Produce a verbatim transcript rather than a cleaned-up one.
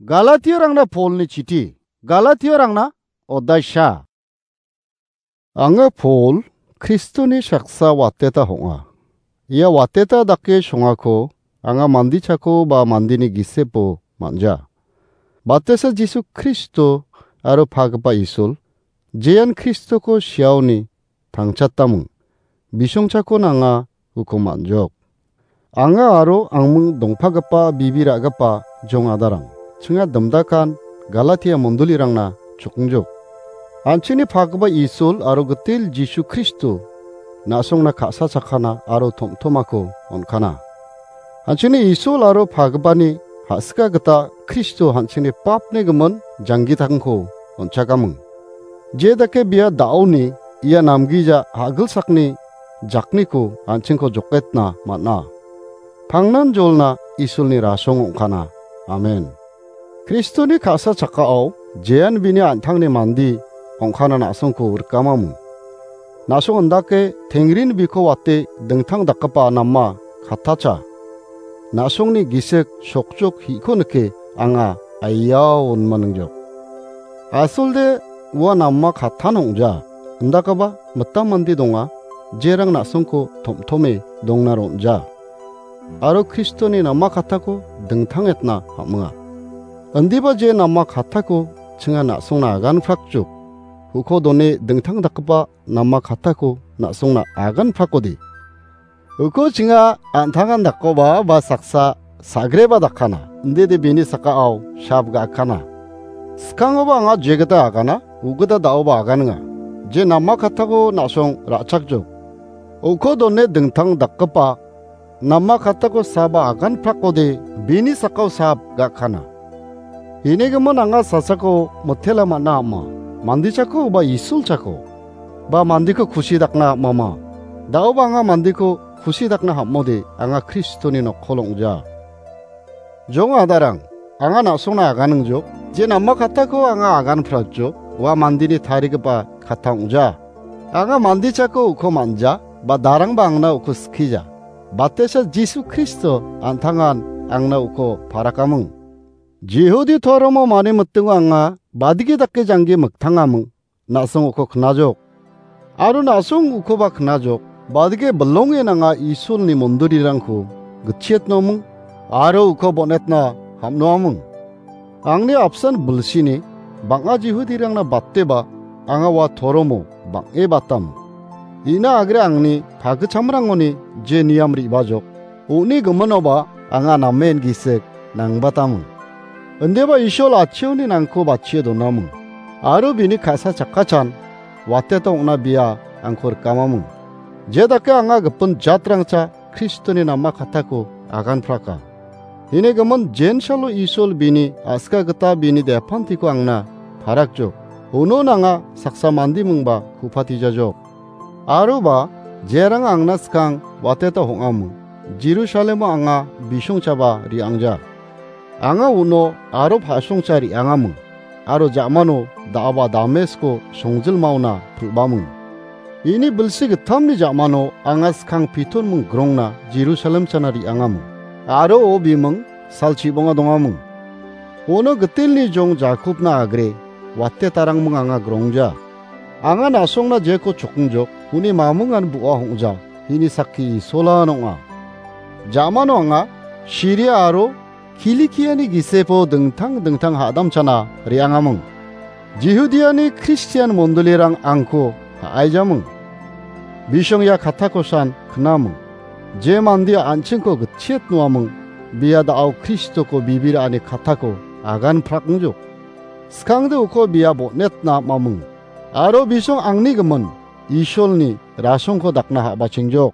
Galatiarangna Polni chiti. Galatiarangna odaisa. Anga Pol, Kristoni saksa wateta ong·a. Ia wateta dake songako anga mandichako ba mandini gisepo man·ja. Batesa Jisu Kristo aro pagipa Isul, jean Kristoko siaoni tangchataming. Bisongchako nanga uko man·jok. Anga aro angming dongpagipa bibi ra·gipa jong adarang, chinga dimdakan Galatia mondolirangna chokongjok. An·chingni pagipa Isul aro gitel Jisu Kristo na·songna ka·sa chakana aro tom·tomako on·kana. An·chingni Isul aro pagipani ha·sika gita Kristo an·chingni papni gimin janggitangko on·chakaming. Je dake bia da·oni ia namgija ha·gilsakni jakniko an·chingko joketna man·a. Pangnan jolna Isulni rasong ong·kana. Amen. Kristoni ka·sa chakao jean bini an·tangni mandi ong·kana na·songko rikamaming. Na·song indake tengrin biko wate dingtang dakgipa nama kattacha. Na·songni gisik sokjok hi·ko nike anga aiao onmaningjok. Asolde ua nama kattan ong·ja, indakaba mitam mande donga, jerang na·songko tom·tome dongna ron·ja. Aro Kristoni nama kattako dingtang etna ham·enga. Indiba je nama kattako chinga na·songna aganprakjok. Uko done dingtang dakgipa nama kattako na·songna aganprakode. Uko chinga an·tangan dakkoba ba saksa sagreba dakana. Indide bini sakao sap ga·akana. Skangoba anga jegita agana, ugita da·oba aganinga. Je nama kattako na·song ra·chakjok. Uko done dingtang dakgipa nama kattako saba aganprakode bini sakao sap ga·akana. Inigimin anga sasako mitela man·a ama, mandichako ba Isulchako, ba mandiko kusi dakna amama. Da·oba anga mandiko kusi dakna ham·ode anga Kristoni nokkol ong·ja. Jong adarang, anga na·songna aganingjok, je nama kattako anga aganprakjok, ua mandini tarigipa katta ong·ja. Anga mandichako uko man·ja, ba darangba angna uko skija. Batesa Jisu Kristo an·tangan angna uko parakaming. Jihudi toromo mani mitingo anga badigi dake janggi miktangaming. Na·song uko knajok. Aro na·song ukoba knajok. Badike bilonge nanga Isolni mondorirangko gitchietnoming aro uko bonetna ham·noaming. Angni apsan bilsini bang·a Jihudirangna bateba anga ua toromo bang·e batam. Ina agre angni pagichamrangoni je niam re·bajok. Uni giminoba anga namen gisik nangbataming. Indiba Isol atchioni nangko batchie donaming. Aro bini ka·sa chakkachan wateta ong·na bia angko rikamaming. Je dake anga gipin jatrangcha Kristoni nama kattako aganpraka. Ini gimin jensalo Isol bini a·sika gita bini depantiko angna parakjok. Uno nanga saksa mandimingba kupatijajok. Aroba jerang angna skang wateta hong·amo. Jerusalemo anga bisongchaba re·angja. Anga uno aro pa·songcha re·angamo. Aro ja·mano da·aba Damesko songjilmaona pil·baming. Ini bilsi gittamni ja·mano anga skang piton ming grongna Jerusalem chana re·angamo. Aro o biming salchibonga dongaming. Uno gitelni jong Jakobna agre wate tarangming anga grongja. Anga na·songna jeko chokingjok, uni mamingan bu·a hong·ja, hini sakki Isolan ong·a. Ja·mano anga Siria aro Kilikiani gisepo dingtang dingtang ha·damchana re·angaming. Jihudiani Kristian mondolirang angko ha·aijaming. Bisong ia kattakosan knaming. Je mandia an·chingko gitchiet noaming, bia da·o Kristoko bibir ani kattako agan prakangjok. Skangde uko bia bonetna am·aming. Aro bisong angni gimin Isolni rasongko dakna ha·bachengjok.